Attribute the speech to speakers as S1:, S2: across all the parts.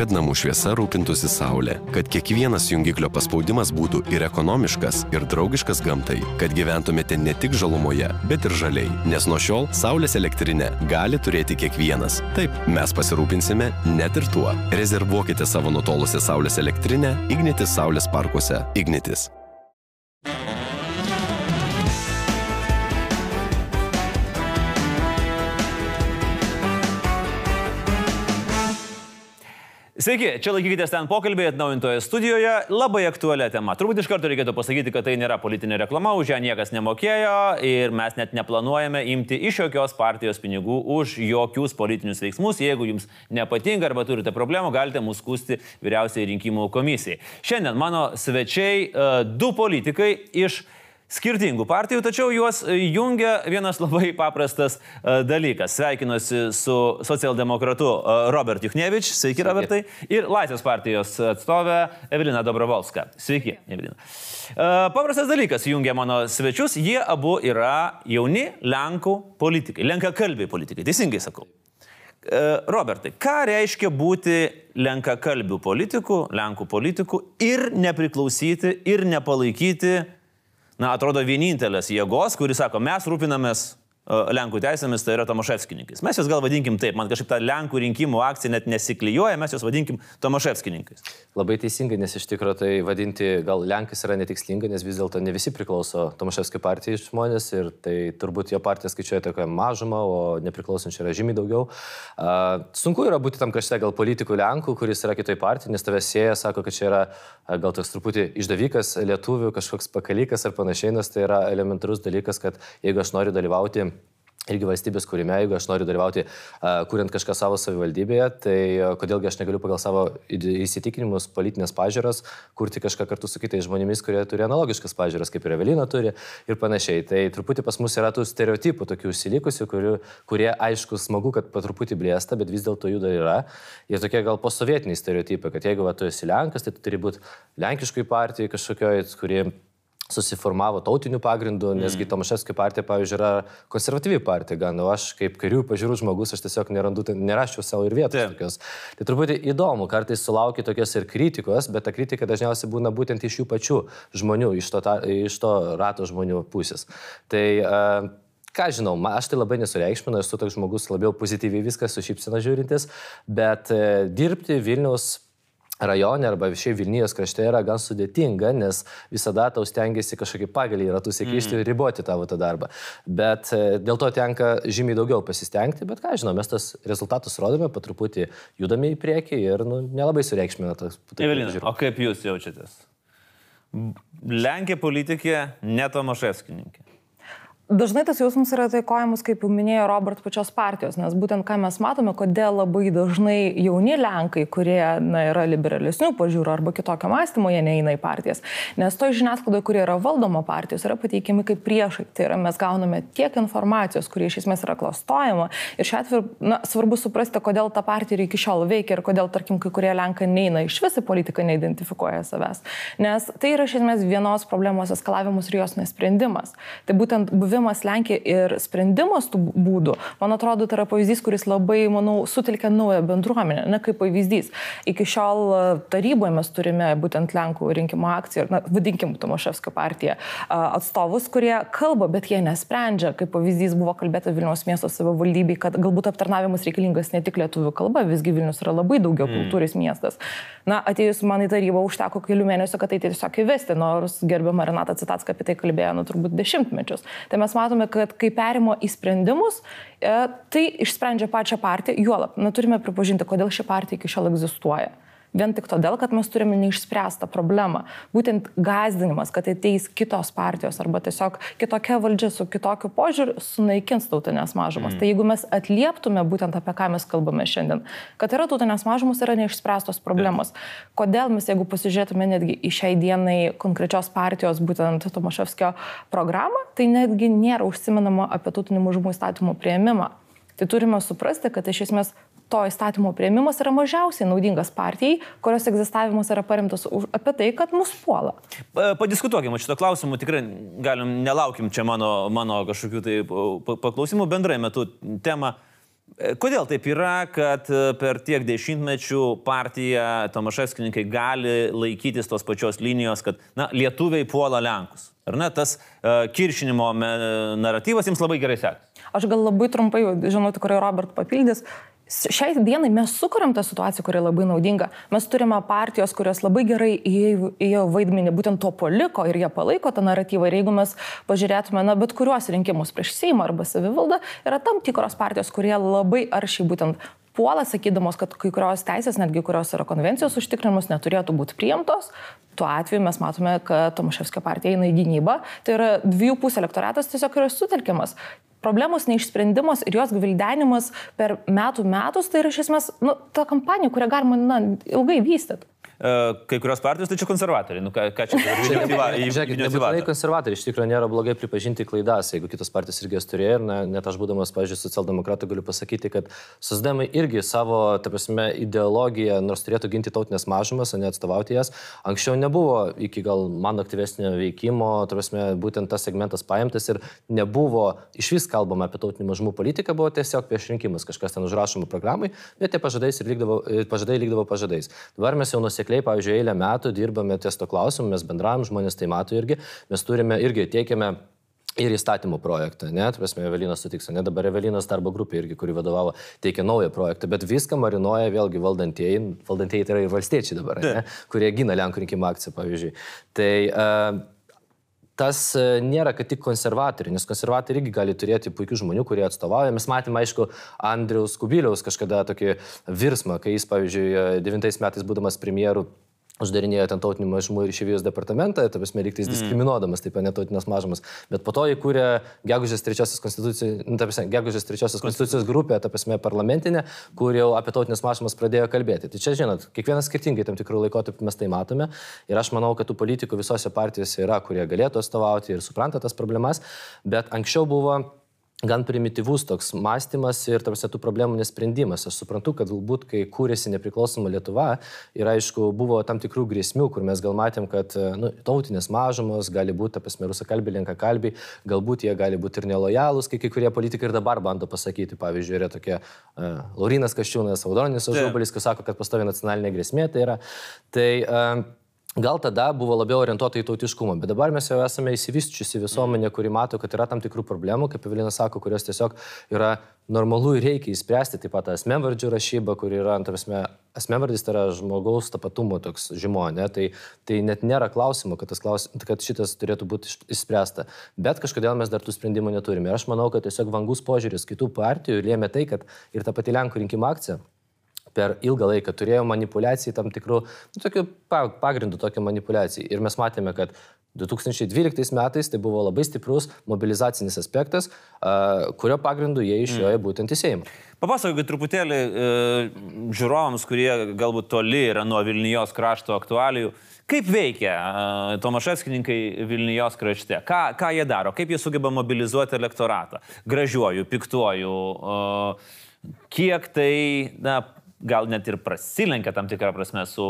S1: kad namų šviesa rūpintųsi saulė, kad kiekvienas jungiklio paspaudimas būtų ir ekonomiškas, ir draugiškas gamtai, kad gyventumėte ne tik žalumoje, bet ir žaliai, nes nuo šiol saulės elektrinę gali turėti kiekvienas. Taip, mes pasirūpinsime net ir tuo. Rezervuokite savo nutolusią saulės elektrinę Ignitis saulės parkuose. Ignitis.
S2: Sveiki, čia laikykitės ten pokalbėje atnaujintoje studijoje, labai aktualią temą. Turbūt iš karto reikėtų pasakyti, kad tai nėra politinė reklama, už ją niekas nemokėjo ir mes net neplanuojame imti iš jokios partijos pinigų už jokius politinius veiksmus. Jeigu jums nepatinka arba turite problemų, galite mūsų skųsti Vyriausiai rinkimų komisijai. Šiandien mano svečiai du politikai iš skirtingų partijų, tačiau juos jungia vienas labai paprastas dalykas. Sveikinuosi su socialdemokratu Robert Juchnevič. Sveiki, Robertai. Ir Laisvės partijos atstovė Evelina Dobrovolska. Sveiki, Evelina. Paprastas dalykas jungia mano svečius. Jie abu yra jauni Lenkų politikai, lenkakalbiai politikai. Teisingai sakau. Robertai, ką reiškia būti lenkakalbių politikų, Lenkų politikų ir nepriklausyti ir nepalaikyti, atrodo, vienintelės jėgos, kuris sako, mes rūpinamės Lenkų teisėmis, tai yra Tomaševskininkais. Mes juos gal vadinkim taip, man kažkaip ta Lenkų rinkimų akcija net nesiklijuoja, mes juos vadinkim Tomaševskininkais.
S3: Labai teisingai, nes iš tikrųjų tai vadinti gal Lenkais yra netikslinga, nes vis dėlto ne visi priklauso Tomaševskio partijai žmonės ir tai turbūt jo partija skaičiuoja tokią mažumą, o nepriklausančių yra žymiai daugiau. Sunku yra būti tam krašte gal politikų Lenkų, kuris yra kitoj partijai, nes tave sieja, sako, kad čia yra gal toks truputį išdavikas lietuvių, kažkoks pakalikas ar panašiai, nes tai yra elementarus dalykas, kad jeigu aš noriu dalyvauti irgi valstybės kūrime, jeigu aš noriu dalyvauti, kuriant kažką savo savivaldybėje, tai kodėlgi aš negaliu pagal savo įsitikinimus, politinės pažiūros, kurti kažką kartu su kitais žmonėmis, kurie turi analogiškas pažiūros, kaip ir Evelina turi ir panašiai. Tai truputį pas mus yra tų stereotipų, tokių užsilikusių, kurie aišku smagu, kad po truputį blėsta, bet vis dėlto jų dar yra. Ir tokie gal posovietiniai stereotipai, kad jeigu tu esi Lenkas, tai tu turi būti lenkiškai partijai kažkokioj, kuri susiformavo tautinių pagrindų, nesgi Tomaševskio partija, pavyzdžiui, yra konservatyvi partija, gan, o aš kaip kairių pažiūrų žmogus, aš tiesiog neraščiau savo ir vietos tokios. Tai truputį įdomu, kartais sulaukia tokios ir kritikos, bet ta kritika dažniausiai būna būtent iš jų pačių žmonių, iš to rato žmonių pusės. Tai ką žinau, aš tai labai nesureikšminu, esu toks žmogus labiau pozityviai viskas su šypsena žiūrintis, bet dirbti Vilniaus rajone arba šiaip Vilnijos krašte yra gan sudėtinga, nes visada tau stengiasi kažkokį pagalį ratus įkišti ir riboti tavo tą darbą. Bet dėl to tenka žymiai daugiau pasistengti, bet ką žinau, mes tas rezultatus rodome, po truputį judame į priekį ir nelabai sureikšmina tas.
S2: Evelina, o kaip jūs jaučiatės? Lenkė politikė, ne Tomaševskininkė.
S4: Dažnai tas jausmas yra taikojamas, kaip jau minėjo Robert, pačios partijos, nes būtent ką mes matome, kodėl labai dažnai jauni Lenkai, kurie yra liberalesnių pažiūrų arba kitokio mąstymo, jie neina į partijas. Nes to žiniasklaidoje, kurie yra valdoma partijos, yra pateikiami kaip priešai. Tai yra, mes gauname tiek informacijos, kurie iš esmės yra klastojama. Ir šiuo atveju svarbu suprasti, kodėl ta partija iki šiol veikia ir kodėl, tarkim, kai kurie Lenkai neina iš visą politiką, neidentifikuoja savęs. Nes tai yra iš esmės vienos problemos eskalavimus ir jos nesprendimas. Tai būtent buvimas Lenkija ir sprendimas tų būdų, man atrodo, tai yra pavyzdys, kuris labai, manau, sutelkia naują bendruomenę, ne kaip pavyzdys. Iki šiol taryboje mes turime būtent Lenkų rinkimų akciją, vadinkim Tomaševskio partiją, atstovus, kurie kalba, bet jie nesprendžia. Kaip pavyzdys buvo kalbėta Vilniaus miesto savivaldybei, kad galbūt aptarnavimas reikalingas ne tik lietuvių kalba, visgi Vilnius yra labai daugiau kultūris miestas. Atėjus man į tarybą užteko kelių mėnesių, kad tai tiesiog įvesti, nors gerbiama Renata Citacka apie tai kalbėjo, turbūt dešimtmečius. Tai mes matome, kad kai perimo į sprendimus, tai išsprendžia pačią partiją, juolab, turime pripažinti, kodėl ši partija iki šiol egzistuoja. Vien tik todėl, kad mes turime neišspręstą problemą. Būtent gąsdinimas, kad ateis kitos partijos arba tiesiog kitokia valdžia su kitokiu požiūriu sunaikins tautinės mažumas. Tai jeigu mes atlieptume būtent apie ką mes kalbame šiandien, kad yra tautinės mažumas, yra neišspręstos problemos. Kodėl mes, jeigu pasižiūrėtume netgi į šiai dienai konkrečios partijos, būtent Tomaševskio programą, tai netgi nėra užsimenama apie tautinių mažumų įstatymų priėmimą. Tai turime suprasti, kad iš esmės to įstatymo priėmimas yra mažiausiai naudingas partijai, kurios egzistavimas yra paremtas apie tai, kad mus puola.
S2: Padiskutuokime šito klausimu, tikrai nelaukim čia mano kažkokių tai paklausimų. Bendrai metu tema Kodėl taip yra, kad per tiek dešimtmečių partija Tomaševskininkai gali laikytis tos pačios linijos, kad lietuviai puola Lenkus? Ar ne, tas kiršinimo naratyvas jums labai gerai sekasi?
S4: Aš gal labai trumpai, žinau, tikrai Robert papildys. Šiai dienai mes sukuriam tą situaciją, kuri labai naudinga. Mes turime partijos, kurios labai gerai įėjo vaidmenį būtent to paliko ir jie palaiko tą naratyvą. Ir jeigu mes pažiūrėtume, bet kuriuos rinkimus prieš Seimą arba savivaldą, yra tam tikros partijos, kurie labai aršiai būtent puola, sakydamos, kad kai kurios teisės, netgi kurios yra konvencijos užtikrinimus, neturėtų būti priimtos. Tuo atveju mes matome, kad Tomaševskio partija eina į gynybą. Tai yra 2,5 elektoratas tiesiog yra sutelkiamas. Problemos neišsprendimas ir jos gvildenimas per metus, tai yra iš esmės ta kampanija, kurią galima ilgai vystyti.
S2: Kai kurios partijos, tai čia konservatoriai. Ką čia
S3: Žiūrėkit, nebūtinai konservatoriai, iš tikrųjų nėra blogai pripažinti klaidas, jeigu kitos partijos irgi jas turėjo ir net aš būdamas, pavyzdžiui, socialdemokratų galiu pasakyti, kad socdemai irgi savo, ta prasme, ideologiją, nors turėtų ginti tautinės mažumas, o ne atstovauti jas, anksčiau nebuvo iki gal mano aktyvesnio veikimo, ta prasme, būtent tas segmentas paimtas ir nebuvo iš vis kalbama apie tautinių mažumų politiką, buvo tiesiog prieš rinkimus, kažkas ten užrašoma programai, bet tie pažadai likdavo pažadais. Dabar mes jau nusekliai, pavyzdžiui, eilę metų dirbame ties to klausimu, mes bendravom, žmonės tai mato irgi, mes turime irgi teikiame ir įstatymo projektą, ne, prasme, Evelinas sutiks, ne, dabar Evelinas darbo grupė irgi, kuri vadovavo, teikia naują projektą, bet viską marinuoja vėlgi valdantieji tai yra ir valstiečiai dabar, ne, kurie gina Lenkų rinkimų akciją, pavyzdžiui. Tai tas nėra, kad tik konservatoriai, nes konservatoriai irgi gali turėti puikių žmonių, kurie atstovauja. Mes matėme, aišku, Andriaus Kubiliaus kažkada tokį virsmą, kai jis, pavyzdžiui, 9 metais būdamas premjeru uždarinėjo ten tautinių mažumų ir išeivijos departamentą, ta prasme, lygtais diskriminuodamas taip netautinės mažumas. Bet po to įkūrė Gegužės 3 konstitucijos grupę, ta prasme, parlamentinę, kur jau apie tautinės mažumas pradėjo kalbėti. Tai čia, žinot, kiekvienas skirtingai tam tikrų laikotarpių mes tai matome. Ir aš manau, kad tų politikų visose partijose yra, kurie galėtų atstovauti ir supranta tas problemas. Bet anksčiau buvo gan primityvus toks mąstymas ir tarsi tų problemų nesprendimas. Aš suprantu, kad galbūt, kai kūrėsi nepriklausoma Lietuva, ir aišku, buvo tam tikrų grėsmių, kur mes gal matėm, kad tautinės mažumos gali būti, prasme, rusakalbiai, lenkakalbiai, galbūt jie gali būti ir nelojalūs, kai kurie politikai ir dabar bando pasakyti. Pavyzdžiui, yra tokie Laurynas Kasčiūnas, Audronius Ažubalis, kas sako, kad pastovi nacionalinė grėsmė tai yra. Gal tada buvo labiau orientuota į tautiškumą, bet dabar mes jau esame įsivysčiusi visuomenė, kuri mato, kad yra tam tikrų problemų, kaip Evelinas sako, kurios tiesiog yra normalu ir reikia įspręsti. Taip pat asmenvardžių rašyba, kur yra, asmenvardis tai yra žmogaus tapatumo toks žymo, ne? Tai net nėra klausimo, kad šitas turėtų būti išspręsta. Bet kažkodėl mes dar tų sprendimų neturime. Ir aš manau, kad tiesiog vangus požiūris kitų partijų lėmė tai, kad ir ta pati Lenkų rinkimų akcija per ilgą laiką turėjo manipulacijai tam tikrų, tokių pagrindų tokią manipulaciją. Ir mes matėme, kad 2012 metais tai buvo labai stiprus mobilizacinis aspektas, kurio pagrindu jie išjojo būtent į Seimą.
S2: Papasakokit truputėlį žiūrovams, kurie galbūt toli yra nuo Vilnijos krašto aktualijų. Kaip veikia Tomaševskininkai Vilnijos krašte? Ką jie daro? Kaip jie sugeba mobilizuoti elektoratą? Gražiuoju, piktuoju? Kiek tai, gal net ir prasilenkia tam tikrą prasme su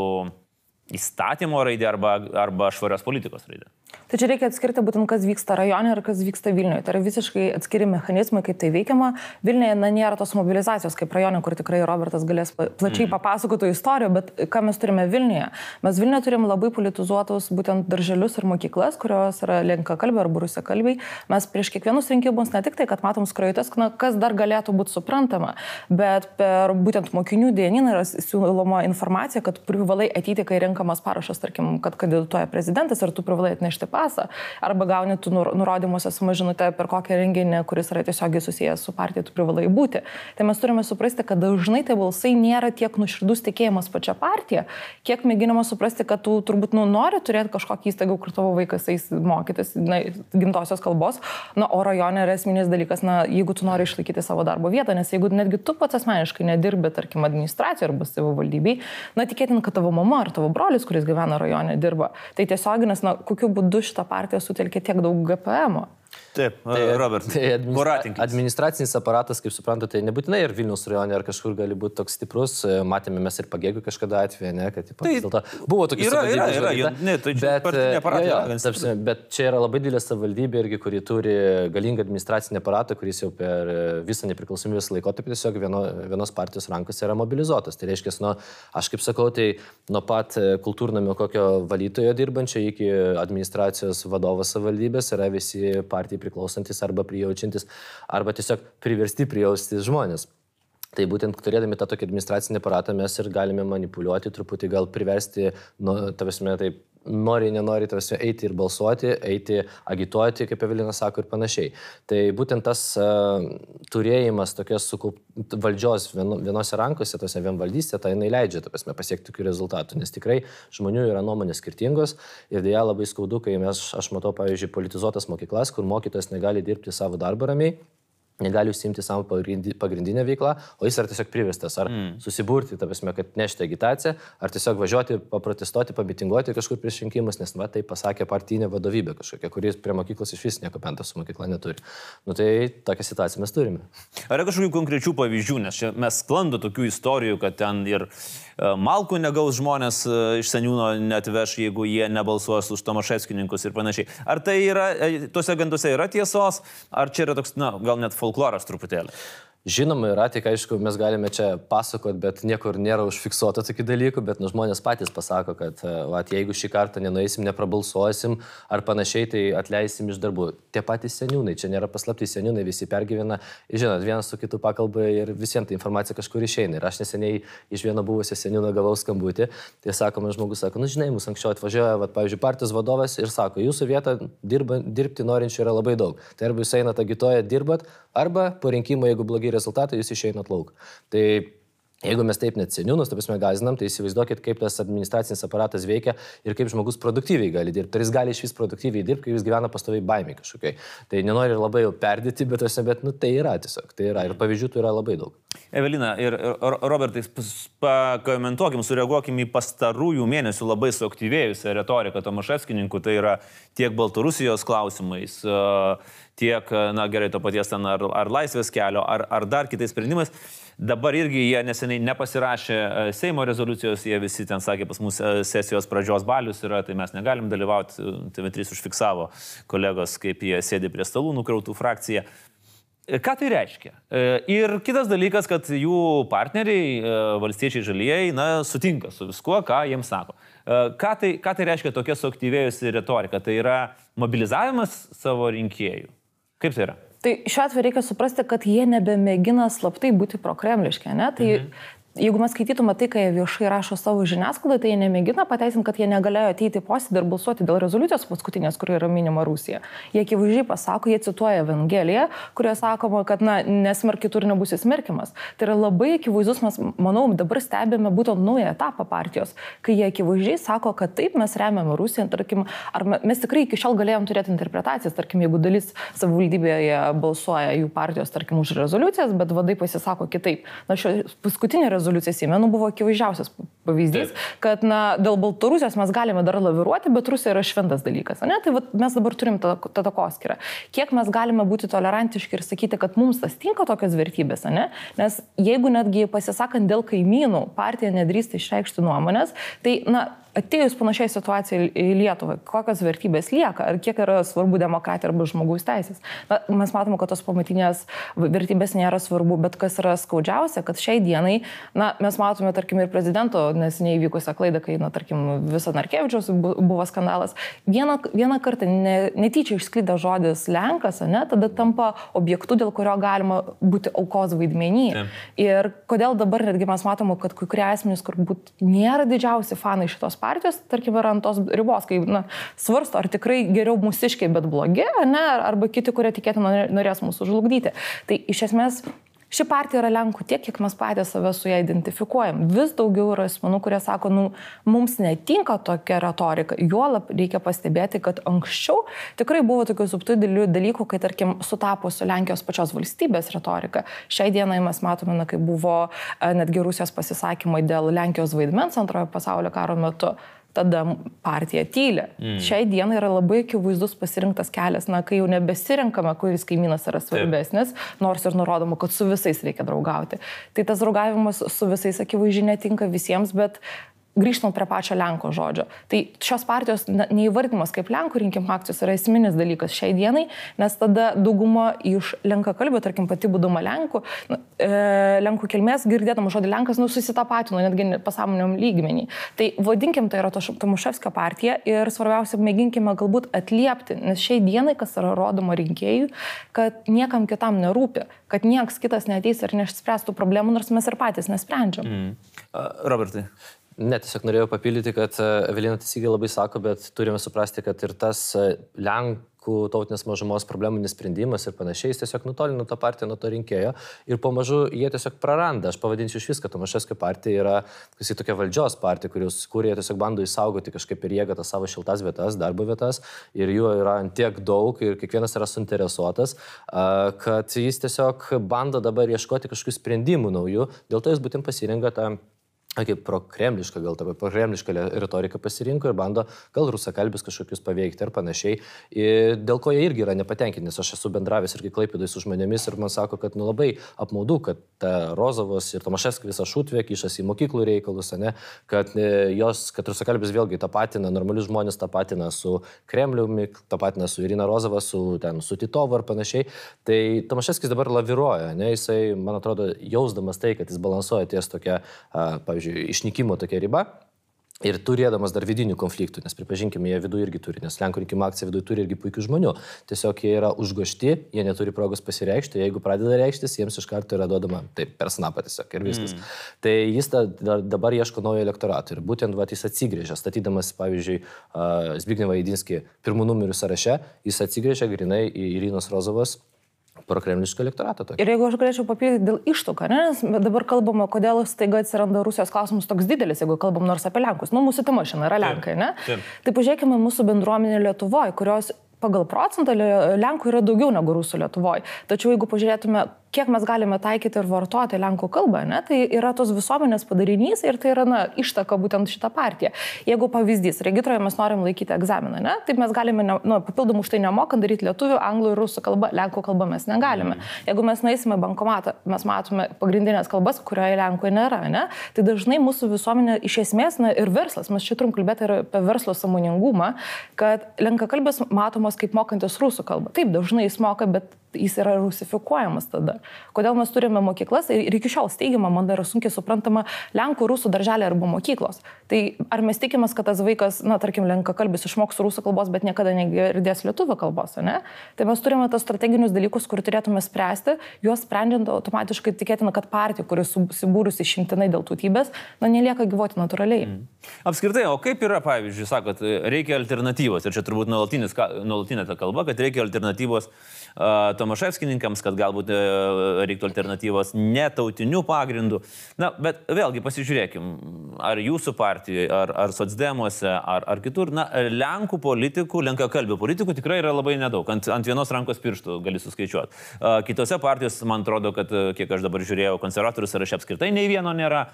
S2: įstatymo raidė arba švarios politikos raidė?
S4: Tai čia reikia atskirti būtent, kas vyksta rajone ir kas vyksta Vilniuje. Tai yra visiškai atskiri mechanizmai, kaip tai veikiama. Vilniuje nėra tos mobilizacijos kaip rajone, kur tikrai Robertas galės plačiai papasakoti istorijų, bet ką mes turime Vilniuje? Mes Vilniuje turim labai politizuotus būtent darželius ir mokyklas, kurios yra lenkakalbiai arba rusakalbiai. Mes prieš kiekvienus rinkimus ne tik tai, kad matom skrajutes, kas dar galėtų būti suprantama, bet per būtent mokinių dienyną yra siūloma informacija, kad privalai ateiti, kai renkamas parašas, tarkim, kad kandidatuoja prezidentas, ir tu privalai atnešti pasą, arba gauni tu nurodymuose sumažinutę, per kokią renginį, kuris yra tiesiogiai susijęs su partija, tu privalai būti. Tai mes turime suprasti, kad dažnai tai balsai nėra tiek nuoširdus tikėjimas pačia partija, kiek mėginama suprasti, kad tu turbūt nori turėti kažkokį įstaigą, kur tavo vaikas eis mokytis gimtosios kalbos, o rajone yra esminis dalykas, jeigu tu nori išlaikyti savo darbo vietą, nes jeigu netgi tu pats asmeniškai nedirbi, tarkim, administracijoje arba savivaldybėj, tikėtina, kad tavo mama ar tavo brolis, kuris gyvena rajone, dirba. Tai tiesioginis, kokiu būdu šitą partiją sutelkė tiek daug GPM-o.
S2: Taip, Robert.
S3: Administracinis aparatas, kaip suprantate, tai nebūtinai ir Vilniaus rajone ar kažkur gali būti toks stiprus. Matėme mes ir Pagėgių kažkada atveju, ne, kad buvo tokių savivaldybės. Bet čia yra labai didelė savivaldybė irgi, kuri turi galingą administracinį aparatą, kuris jau per visą nepriklausomybės laikotarpį tiesiog vienos partijos rankose yra mobilizuotas. Tai reiškia, aš kaip sakau, tai nuo pat kultūrnamio kokio valytojo dirbančio iki administracijos vadovo savivaldybės yra visi partijai priklausantis arba prijaučiantis, arba tiesiog priversti prijausti žmonės. Tai būtent turėdami tą tokį administracinį aparatą mes ir galime manipuliuoti, truputį gal priversti, taip, nori, nenori, eiti ir balsuoti, eiti agituoti, kaip Evelina sako, ir panašiai. Tai būtent tas turėjimas tokios valdžios vienose rankose, tose vienvaldystė, tai jinai leidžia pasiekti tokių rezultatų, nes tikrai žmonių yra nuomonės skirtingos ir dėja labai skaudu, kai aš matau, pavyzdžiui, politizuotas mokyklas, kur mokytojas negali dirbti savo darbą ramiai, negali užsiimti savo pagrindinę veiklą, o jis yra tiesiog priverstas ar susiburti, kad nešti agitaciją, ar tiesiog važiuoti, paprotestuoti, pamitinguoti kažkur prieš rinkimus, nes tai pasakė partinė vadovybė kažkokia, kuris prie mokyklos iš vis nieko bendro su mokykla neturi. Tai tokią situaciją mes turime.
S2: Ar yra kažkokių konkrečių pavyzdžių, nes čia mes sklando tokių istorijų, kad ten ir malkų negaus žmonės iš seniūno neatveš, jeigu jie nebalsuos už Tomaševskininkus ir panašiai. Ar tai yra, tuose ganduose yra tiesos, ar čia yra toks, gal net folkloras truputėlį?
S3: Žinoma, yra, tik aišku, mes galime čia pasakoti, bet niekur nėra užfiksuota tokių dalykų, bet žmonės patys pasako, kad jeigu šį kartą nenueisim, neprabalsuosim ar panašiai, tai atleisim iš darbų. Tie patys seniūnai, čia nėra paslaptys, seniūnai visi pergyvena, žinot, vienas su kitu pakalba ir visiems ta informacija kažkur išeina. Ir aš neseniai iš vieno buvusio seniūno gavau skambutį, tai sakoma, žmogus sako, žinai, mūsų anksčiau atvažiuoja, pavyzdžiui, partijos vadovas ir sako, jūsų vietą dirbti norinčių yra labai daug. Tai arba jūs einat agituoja, dirbat, arba po rinkimo, jeigu blogi rezultatai, jūs išeinat lauk. Tai jeigu mes taip net seniūnus, gazinam, tai įsivaizduokit, kaip tas administracinis aparatas veikia ir kaip žmogus produktyviai gali dirbti. Ar jis gali iš vis produktyviai dirbti, kai jis gyvena pastoviai baimė kažkokiai. Tai nenori labai jau perdėti, bet tai yra tiesiog. Tai yra ir pavyzdžių tai yra labai daug.
S2: Evelina ir Robertai, pakomentuokim, sureaguokim į pastarųjų mėnesių labai suaktyvėjusią retoriką Tomaševskininkų. Tai yra tiek Baltarusijos klausimais, tiek, gerai, to paties ten ar laisvės kelio, ar dar kitais sprendimais. Dabar irgi jie neseniai nepasirašė Seimo rezoliucijos, jie visi ten sakė, pas mus sesijos pradžios balius yra, tai mes negalim dalyvauti. TV3 užfiksavo kolegos, kaip jie sėdi prie stalų nukrautų frakciją. Ką tai reiškia? Ir kitas dalykas, kad jų partneriai, valstiečiai žalieji, sutinka su viskuo, ką jiems sako. Ką tai reiškia tokia suaktyvėjusi retorika? Tai yra mobilizavimas savo rinkėjų. Kaip tai yra?
S4: Tai šiuo atveju reikia suprasti, kad jie nebemėgina slaptai būti prokremliški, ne? Tai jeigu mes skaitytume tai, kai jie viešai rašo savo žiniasklaidą, tai jie nemėgina pateisinti, kad jie negalėjo ateiti į posėdį ir balsuoti dėl rezoliucijos paskutinės, kur yra minima Rusija. Jie akivaizdžiai pasako, jie cituoja Evangeliją, kurioje sakoma, kad nesmerk kitur nebus įsmerkimas. Tai yra labai akivaizdus, mes, manau, dabar stebime būtent naują etapą partijos, kai jie akivaizdžiai sako, kad taip mes remiame Rusiją, tarkim, ar mes tikrai iki šiol galėjom turėti interpretacijas, tarkim, jeigu dalis savivaldybėje balsuoja jų partijos, tarkim, už rezoliucijas, bet vadai pasisako kitaip. Šio paskutinė rezoliucija Seime buvo akivaizdžiausias pavyzdys, kad dėl Baltarusijos mes galime dar laviruoti, bet Rusija yra šventas dalykas. Ne? Tai mes dabar turim tą takoskyrą. Kiek mes galime būti tolerantiški ir sakyti, kad mums tas tinka tokios vertybės, ne? Nes jeigu netgi pasisakant dėl kaimynų partija nedrįsta išreikšti nuomonės, tai atėjus panašiai situacijai į Lietuvą, kokios vertybės lieka, ar kiek yra svarbu demokratija arba žmogaus teisės. Mes matome, kad tos pamatinės vertybės nėra svarbu, bet kas yra skaudžiausia, kad šiai dienai, mes matome, tarkim, ir prezidento neseniai įvykusią klaidą, kai, tarkim, visą Narkevičiaus buvo skandalas. Vieną kartą netyčia išsklydo žodis Lenkas, tada tampa objektu, dėl kurio galima būti aukos vaidmenį. Ir kodėl dabar netgi mes matome, kad kai kurie asmenys, kur nėra didžiausi fanai šitos partijos, tarkim, yra ant tos ribos, kai svarsto, ar tikrai geriau mūsiškiai, bet blogi, arba kiti, kurie tikėtina norės mūsų žlugdyti. Tai iš esmės ši partija yra Lenkų tiek, kiek mes patys save su ją identifikuojam. Vis daugiau yra asmenų, kurie sako, mums netinka tokia retorika. Juolab reikia pastebėti, kad anksčiau tikrai buvo tokių subtilių dalykų, kai, tarkim, sutapo su Lenkijos pačios valstybės retorika. Šiai dienai mes matome, kai buvo netgi Rusijos pasisakymai dėl Lenkijos vaidmens antrojo pasaulio karo metu. tada partija tyli. Šiai dienai yra labai akivaizdus pasirinktas kelias, kai jau nebesirinkame, kuris kaimynas yra svarbesnis, nors ir nurodoma, kad su visais reikia draugauti. Tai tas draugavimas su visais akivaizdžiai netinka visiems, bet grįžtant prie pačio Lenko žodžio. Tai šios partijos neįvardymas kaip Lenkų rinkimų akcijos yra esminis dalykas šiai dienai, nes tada dauguma iš lenkakalbių, tarkim pati būdama Lenkų kilmės, girdėdama žodį Lenkas, susitapatino netgi pasąmoniniam lygmenį. Tai vadinkim, tai yra Tomaševskio partija ir svarbiausia, mėginkime galbūt atliepti, nes šiai dienai, kas yra rodoma rinkėjų, kad niekam kitam nerūpi, kad nieks kitas neateis ir neišspręstų problemų, nors mes ir patys nesprendžiam.
S2: Robertai.
S3: Ne, tiesiog norėjau papildyti, kad Evelina teisingai labai sako, bet turime suprasti, kad ir tas Lenkų tautinės mažumos problemų nesprendimas ir panašiai, jis tiesiog nutolino tą partiją nuo to rinkėjo ir pamažu jie tiesiog praranda. Aš pavadinsiu iš viską, Tomaševskio partija yra tokia valdžios partija, kurie tiesiog bando išsaugoti kažkaip ir jėgą tas savo šiltas vietas, darbo vietas ir jų yra tiek daug ir kiekvienas yra suinteresuotas, kad jis tiesiog bando dabar ieškoti kažkokių sprendimų naujų, dėl to jis būtent pasirenka tą kaip prokremlišką, gal tą prokremlišką retoriką pasirinko ir bando gal rusakalbius kažkokius paveikti ir panašiai. Ir dėl ko jie irgi yra nepatenkinti, nes aš esu bendravęs irgi Klaipėdoj su žmonėmis ir man sako, kad labai apmaudu, kad Rozovas ir Tomaševskis visą šutvę kišasi į mokyklų reikalus, kad rusakalbis vėlgi tapatina, normalius žmonės tapatina su Kremliumi, tapatina su Irina Rozova, su Titovu ir panašiai. Tai Tomaševskis dabar laviruoja, jisai, man atrodo, jausdamas tai, kad jis balansuoja ties tokia, pavyzdžiui, išnykimo tokia riba ir turėdamas dar vidinių konfliktų, nes pripažinkime, jie viduje irgi turi, nes Lenkų rinkimų akcija viduje turi irgi puikių žmonių. Tiesiog jie yra užgošti, jie neturi progos pasireikšti, jeigu pradeda reikštis, jiems iš karto yra duodama per snapą tiesiog ir viskas. Tai jis dabar ieško naujo elektorato ir būtent jis atsigrėžia, statydamas, pavyzdžiui, Zbignevą Jedinskį pirmų numerių sąraše, jis atsigrėžia grinai į Irinos Rozovos prokremlišką elektoratą.
S4: Ir jeigu aš galėčiau papildyti dėl ištuką, nes dabar kalbama, kodėl staiga atsiranda Rusijos klausimas toks didelis, jeigu kalbam nors apie Lenkus. Mūsų tema šiandien yra Lenkai, ne? Tai pažiūrėkime mūsų bendruomenę Lietuvoje, kurios pagal procentą Lenkų yra daugiau negu Rusų Lietuvoje. Tačiau jeigu pažiūrėtume, kiek mes galime taikyti ir vartoti Lenkų kalbą, tai yra tos visuomenės padarinys ir tai yra ištaka būtent šitą partiją. Jeigu pavyzdys, regitroje mes norim laikyti egzaminą, tai mes galime papildomų už tai nemokant daryti lietuvių, anglų ir rusų kalbą, Lenkų kalbą mes negalime. Jeigu mes nueisime bankomatą, mes matome pagrindinės kalbas, kurioje Lenkų nėra, tai dažnai mūsų visuomenė iš esmės ir verslas, mes čia turim kalbėti ir apie verslo sąmoningumą, kad lenkakalbis matomos kaip mokantis rusų kalbą. Taip, dažnai jis moka, bet jis yra rusifikuojamas tada. Kodėl mes turime mokyklas ir iki šiol steigiama, man dar sunkiai suprantama, Lenkų, rusų darželė arba mokyklos. Tai ar mes tikimės, kad tas vaikas, tarkim, lenkakalbis išmoks rusų kalbos, bet niekada negirdės lietuvių kalbos, Tai mes turime tos strateginius dalykus, kur turėtume spręsti, juos sprendžiant automatiškai tikėtina, kad partija, kuri susibūrusi išimtinai dėl tautybės, nelieka gyvuoti natūraliai.
S2: Apskritai, o kaip yra, pavyzdžiui, sakot, reikia alternatyvos, ir čia turbūt nuolatinė ta kalba, kad reikia alternatyvos Tomaševskininkams, kad galbūt reiktų alternatyvos netautinių pagrindų. Bet vėlgi pasižiūrėkim, ar jūsų partijoje, ar socdemuose, ar kitur, Lenkų politikų, lenkakalbių politikų tikrai yra labai nedaug. Ant vienos rankos pirštų gali suskaičiuoti. Kitose partijos, man atrodo, kad, kiek aš dabar žiūrėjau, konservatorių sąraše apskritai nei vieno nėra.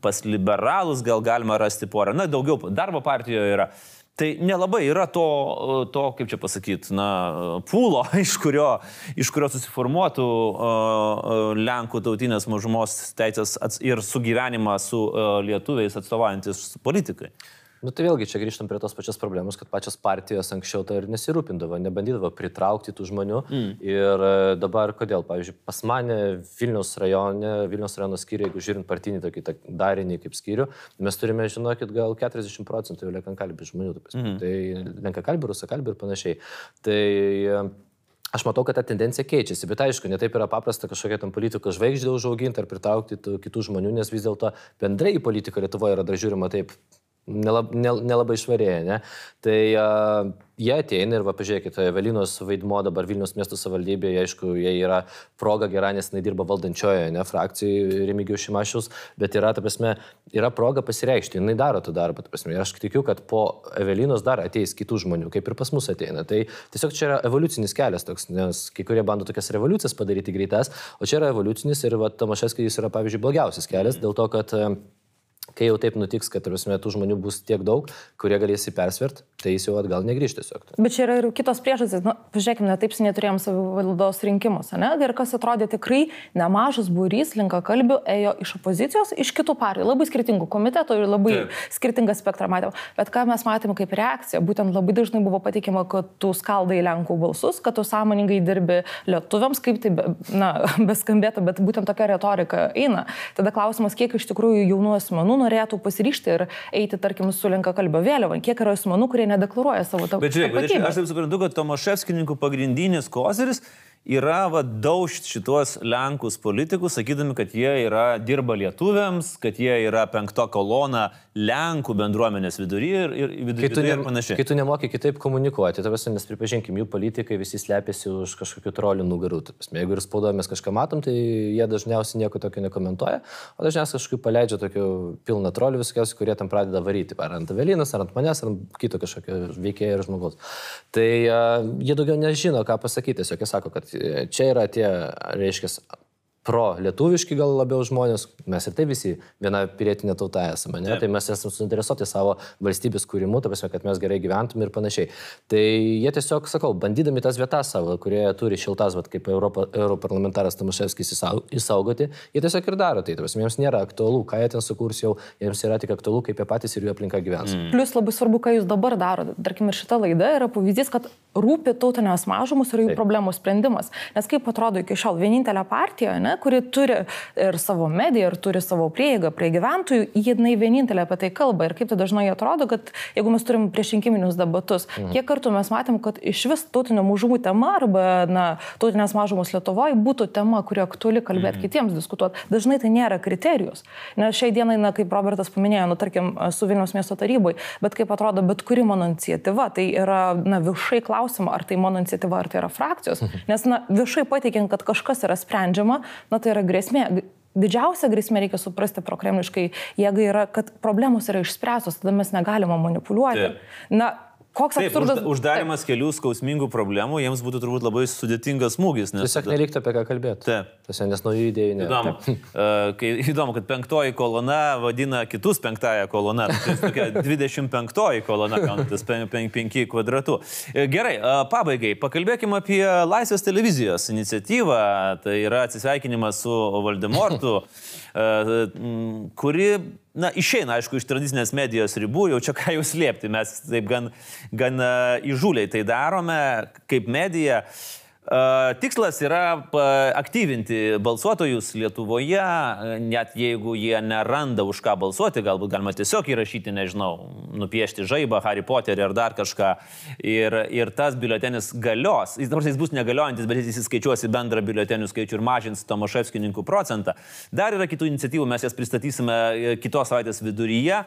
S2: Pas liberalus gal galima rasti porą. Daugiau darbo partijoje yra. Tai nelabai yra to, kaip čia pasakyti, pūlo, iš kurio susiformuotų Lenkų tautinės mažumos teisės ir sugyvenimą su lietuviais atstovaujantis politikai.
S3: Tai vėlgi čia grįžtam prie tos pačios problemos, kad pačios partijos anksčiau to ir nesirūpindavo, nebandydavo pritraukti tų žmonių. Ir dabar kodėl? Pavyzdžiui, pas mane Vilniaus rajono skyriuje, jeigu žiūrint partinį tokį darinį kaip skyrių, mes turime, žinokit, gal 40% jau lenkakalbių žmonių. Tai lenkakalbių, rusakalbių ir panašiai. Tai aš matau, kad ta tendencija keičiasi, bet aišku, netaip yra paprasta kažkokia tam politikų žvaigždė užauginti ar pritraukti kitų žmonių, nes vis dėlto bendrai į politiką Lietuvoje yra dar žiūrima taip nelabai švarėja, Tai jie ateina ir pažiūrėkite, Evelinos vaidmo dabar Vilniaus miesto savivaldybėje, aišku, jie yra proga gera, nes jinai dirba valdančioje, frakcijai Remigijaus Šimašiaus, bet yra proga pasireikšti, jinai daro tą darbą, ir aš tikiu, kad po Evelinos dar ateis kitų žmonių, kaip ir pas mus ateina. Tai tiesiog čia yra evoliucinis kelias toks, nes kai kurie bando tokias revoliucijas padaryti greitas, o čia yra evoliucinis ir Tomaševskis yra, pavyzdžiui, blogiausias kelias, dėl to, kad kai jau taip nutiks, kad tų žmonių bus tiek daug, kurie galės įpersvert, tai jis jau atgal negrįž tiesiog.
S4: Bet čia yra ir kitos priežastys. Nu, pažiūrėkime, taip seniai turėjom savivaldos rinkimus, ne? Ir kas atrodė tikrai nemažas būrys lenkakalbių ėjo iš opozicijos, iš kitų partijų, labai skirtingų komitetų ir labai skirtingą spektrą matėm. Bet ką mes matėm kaip reakcija, būtent labai dažnai buvo patikima, kad tu skaldai Lenkų balsus, kad tu sąmoningai dirbi lietuviams, kaip tai beskambėtų, bet būtent tokia retorika eina. Tada klausimas, kiek iš tikrųjų jaunų asmenų norėtų pasiryžti ir eiti, tarkim, su lenkakalbio vėliava, kiek yra asmenų, kurie nedeklaruoja savo tapatybę.
S2: Bet žiūrėk, aš taip suprantu, kad Tomaševskininkų pagrindinis koziris yra daužt šitos Lenkus politikus, sakydami, kad jie dirba lietuviams, kad jie yra 5. kolona Lenkų bendruomenės viduryje ir panašiai.
S3: Kai tu nemoki kitaip komunikuoti, nes pripažinkim, jų politikai visi slepiasi už kažkokių trolių nugarų. Jeigu ir spaudoje mes kažką matom, tai jie dažniausiai nieko tokio nekomentuoja, o dažniausiai kažkaip paleidžia tokių pilną trolių visokiausių, kurie tam pradeda varyti. Ar ant Evelinos, ar ant manęs, ar ant kito kažkokio veikėjo ir žmogaus. Tai jie daugiau nežino, ką pasakyti. Tiesiog jie sako, kad čia yra tie, reiškia, pro-lietuviški gal labiau žmonės, mes ir tai visi viena pilietinė tauta esame, ne? Tai mes esame suinteresuoti savo valstybės kūrimu, ta prasme, kad mes gerai gyventume ir panašiai. Tai jie tiesiog, sakau, bandydami tas vietas savo, kurie turi šiltas, kaip europarlamentaras Tomaševskis įsaugoti, jie tiesiog ir daro tai. Ta prasme, jiems nėra aktualu, ką jie ten sukurs jau, jiems yra tik aktualu, kaip jie patys ir jų aplinka gyvens.
S4: Plius labai svarbu, ką jūs dabar darote. Tarkim, ir šita laida yra pavyzdys, kad rūpi tautinės mažumus ir jų problemų sprendimas. Nes kaip atrodo iki šiol vienintelė partija, ne, kuri turi ir savo mediją, ir turi savo prieigą prie gyventojų, jinai vienintelė apie tai kalba. Ir kaip tai dažnai atrodo, kad jeigu mes turim priešrinkiminius debatus, kiek kartų mes matėm, kad iš vis tautinio mažumų tema arba tautinės mažumos Lietuvoje būtų tema, kuri aktuali kalbėti kitiems, diskutuoti. Dažnai tai nėra kriterijus. Nes šiai dienai, kaip Robertas paminėjo, tarkim, su Vilniaus miesto tarybai, bet kaip atrodo, bet kuri mano iniciatyva, tai yra viešai klausima, ar tai mano iniciatyva, ar tai yra frakcijos. Nes viešai pateikiant, kad kažkas yra sprendžiama, tai yra grėsmė. Didžiausia grėsmė, reikia suprasti prokremliškai, jeigu yra, kad problemos yra išspręstos, tada mes negalime manipuliuoti. Koks absurdas.
S2: Uždarimas kelių skausmingų problemų, jiems būtų turbūt labai sudėtingas smūgis.
S3: Tiesiog nereiktų apie ką kalbėti. Tiesiog, nes naujų idėjų nėra.
S2: Įdomu, kad 5. kolona vadina kitus 5. kolona. Tai tokia 25. kolona, kaunantis 5 kvadratų. Gerai, pabaigai, pakalbėkime apie Laisvės televizijos iniciatyvą. Tai yra atsisveikinimas su Voldemortu, kuri išeina, aišku, iš tradicinės medijos ribų, jau čia ką jau slėpti, mes taip gan įžūliai tai darome kaip medija. Tikslas yra aktyvinti balsuotojus Lietuvoje, net jeigu jie neranda už ką balsuoti, galbūt galima tiesiog įrašyti, nežinau, nupiešti žaibą, Harry Potterį ar dar kažką. Ir tas biuletenis galios, jis bus negaliojantis, bet jis įskaičiuos į bendrą biuletenių skaičių ir mažins Tomaševskininkų procentą. Dar yra kitų iniciatyvų, mes jas pristatysime kitos savaitės viduryje.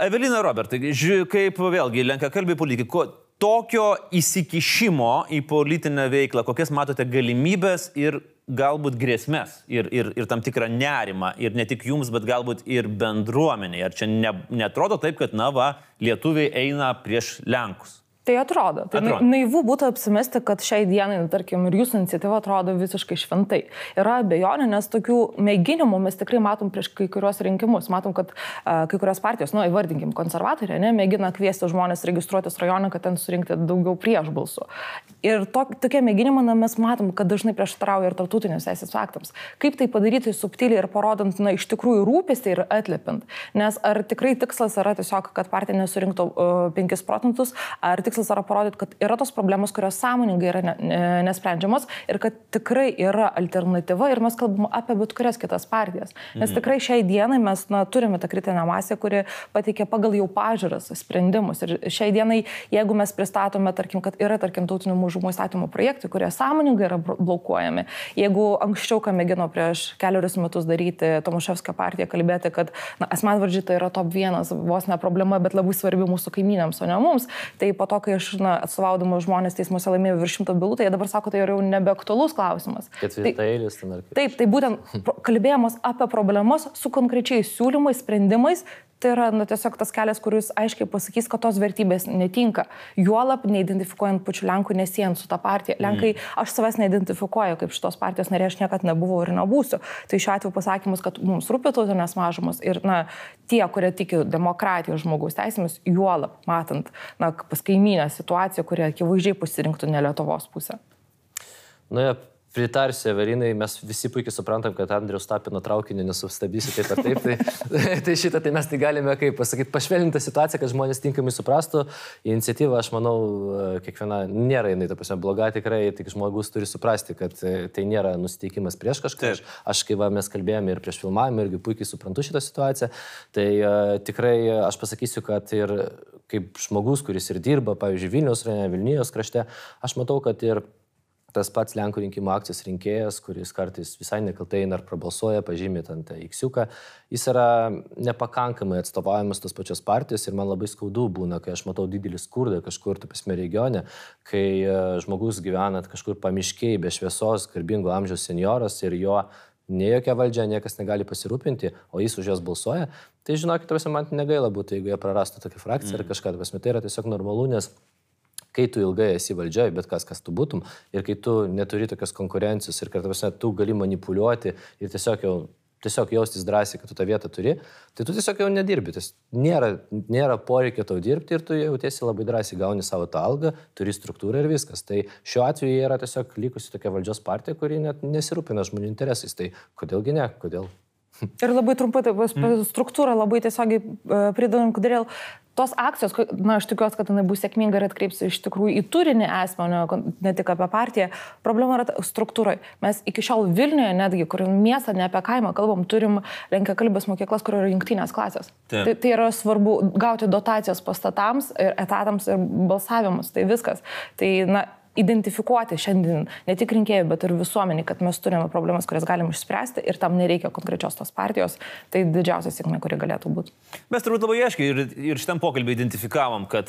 S2: Evelina, Robertai, kaip vėlgi lenkakalbiai politikai, tokio įsikišimo į politinę veiklą, kokias matote galimybės ir galbūt grėsmės ir tam tikrą nerimą, ir ne tik jums, bet galbūt ir bendruomeniai. Ar čia neatrodo taip, kad lietuviai eina prieš Lenkus?
S4: Tai atrodo. Tai naivu būtų apsimesti, kad šiai dienai, tarkim, ir jūsų iniciatyva atrodo visiškai šventai. Yra abejonė, nes tokių mėginimų mes tikrai matom prieš kai kurios rinkimus. Matom, kad kai kurios partijos, įvardinkim, konservatoriai, mėgina kviesti žmonės registruotis rajone, kad ten surinkti daugiau prieš balsų. Ir tokie mėginimai mes matom, kad dažnai prieštarauja ir tarptautiniams teisės aktams. Kaip tai padaryti subtiliai ir parodant, iš tikrųjų rūpestį ir atliepint. Nes ar tikrai tikslas yra tiesiog, kad partija nesurinktų 5 procentus, ar tikslas yra parodyti, kad yra tos problemos, kurios sąmoningai yra nesprendžiamos ir kad tikrai yra alternatyva ir mes kalbame apie bet kurias kitas partijas. Nes tikrai šiai dienai mes turime tą kritinę masę, kuri pateikia pagal jau pažiūras sprendimus. Ir šiai dienai, jeigu mes pristatome, tarkim, kad yra, tarkim, tautinių mažumų įstatymų projektai, kurie sąmoningai yra blokuojami, jeigu anksčiau, ką mėgino prieš 4 metus daryti Tomaševskio partija, kalbėti, kad asmenvardžiai tai yra top 1, vos ne problema, bet labai svarbi mūsų kaimynėms, o ne mums, tai po to, kai aš atstovaudama žmonės teismuose laimėjau virš 100 bylų, tai jie dabar sako, tai yra jau nebeaktualus klausimas.
S3: Ketvirtailis ten ar kaip.
S4: Taip, tai būtent kalbėjimas apie problemas su konkrečiais siūlymais, sprendimais, tai yra tiesiog tas kelias, kuris aiškiai pasakys, kad tos vertybės netinka. Juolab neidentifikuojant pačių Lenkų, nesijant su tą partiją. Lenkai, aš savęs neidentifikuoju kaip šitos partijos narė, aš niekad nebuvau ir nebūsiu. Tai šiuo atveju pasakymus, kad mums rūpi tautinės mažumos ir tie, kurie tiki demokratijos žmogaus teisėmis, juolab matant pas kaimynę situaciją, kurie akivaizdžiai pasirinktų ne Lietuvos pusę.
S3: Pritarsiu, Everinai, mes visi puikiai suprantam, kad Andriaus Tapino traukinį nesustabdysi taip ar taip, tai šitą tai mes tai galime, kaip pasakyti, pašvelninti situaciją, kad žmonės tinkamai suprastų. Iniciatyva, aš manau, kiekviena nėra jinai, ta prasme, bloga tikrai, tik žmogus turi suprasti, kad tai nėra nusiteikimas prieš kažką. Aš kai mes kalbėjome ir prieš filmavimą, irgi puikiai suprantu šitą situaciją, tai tikrai aš pasakysiu, kad ir kaip žmogus, kuris ir dirba, pavyzdžiui, Vilniaus rajone, Vilnijos krašte, aš matau, kad ir tas pats Lenkų rinkimų akcijos rinkėjas, kuris kartais visai nekaltai ar prabalsuoja, pažymė ant X-iuką, jis yra nepakankamai atstovaujamas tos pačios partijos ir man labai skaudu būna, kai aš matau didelį skurdą kažkur, tapasme, regione, kai žmogus gyvena kažkur pamiškiai, be šviesos, garbingo amžiaus senjoras ir jo ne jokia valdžia, niekas negali pasirūpinti, o jis už jos balsuoja, tai žinokit, man negaila būtų, jeigu jie prarastų tokią frakciją ar kažką, tai yra tiesiog normalu, nes kai tu ilgai esi valdžioje, bet kas tu būtum, ir kai tu neturi tokios konkurencijos ir kad tu gali manipuliuoti ir tiesiog jaustis drąsiai, kad tu tą vietą turi, tai tu tiesiog jau nedirbi. Nėra poreikio tau dirbti ir tu jautiesi labai drąsiai, gauni savo tą algą, turi struktūrą ir viskas. Tai šiuo atveju yra tiesiog likusi tokia valdžios partija, kuri net nesirūpina žmonių interesais. Tai kodėlgi ne? Kodėl?
S4: Ir labai trumpai, struktūrą labai tiesiogiai pridedam, kodėl tos akcijos, aš tikiuosi, kad jinai bus sėkminga ir atkreipsi iš tikrųjų į turinį esmę, ne tik apie partiją. Problema yra struktūrai. Mes iki šiol Vilniuje netgi, kur miestą, ne apie kaimą kalbam, turim lenkiakalbės mokyklas, kur yra jungtinės klasės. Tai yra svarbu gauti dotacijas pastatams, ir etatams ir balsavimus. Tai viskas. Tai, identifikuoti šiandien ne tik rinkėjų, bet ir visuomenį, kad mes turime problemas, kurias galim išspręsti ir tam nereikia konkrečios tos partijos, tai didžiausia sėkmė, kuri galėtų būti.
S2: Mes turbūt labai aiškiai ir šitam pokalbį identifikavom, kad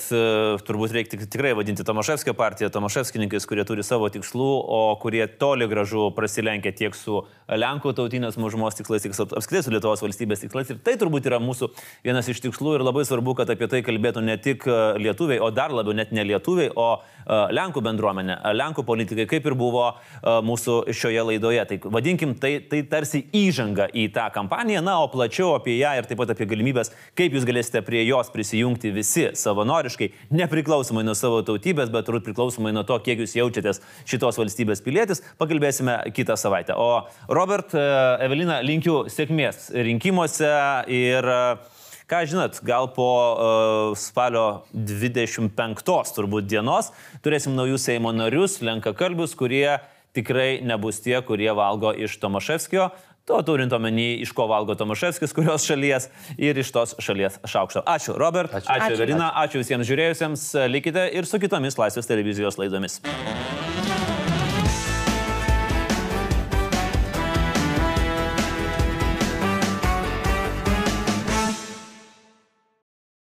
S2: turbūt reikia tikrai vadinti Tomaševskio partiją, Tomaševskininkais, kurie turi savo tikslų, o kurie toli gražu prasilenkia tiek su Lenkų tautinės mažumos tikslais, tiek apskritai su Lietuvos valstybės tikslais. Ir tai turbūt yra mūsų vienas iš tikslų ir labai svarbu, kad apie tai kalbėtų ne tik lietuviai, o dar labiau net ne lietuviai, o Lenkų bendruomenė, Lenkų politikai, kaip ir buvo mūsų šioje laidoje. Tai vadinkim, tai tarsi įžanga į tą kampaniją, o plačiau apie ją ir taip pat apie galimybės, kaip jūs galėsite prie jos prisijungti visi savanoriškai, nepriklausomai nuo savo tautybės, bet turbūt priklausomai nuo to, kiek jūs jaučiatės šitos valstybės pilietis, pakalbėsime kitą savaitę. O Robert, Evelina, linkiu sėkmės rinkimuose ir ką žinot, gal po spalio 25 turbūt dienos turėsim naujus Seimo narius, lenkakalbius, kurie tikrai nebus tie, kurie valgo iš Tomaševskio. To turint omeny, iš ko valgo Tomaševskis, kurios šalies ir iš tos šalies šaukšto. Ačiū, Robert. Ačiū Evelina. Ačiū visiems žiūrėjusiems. Likite ir su kitomis Laisvės televizijos laidomis.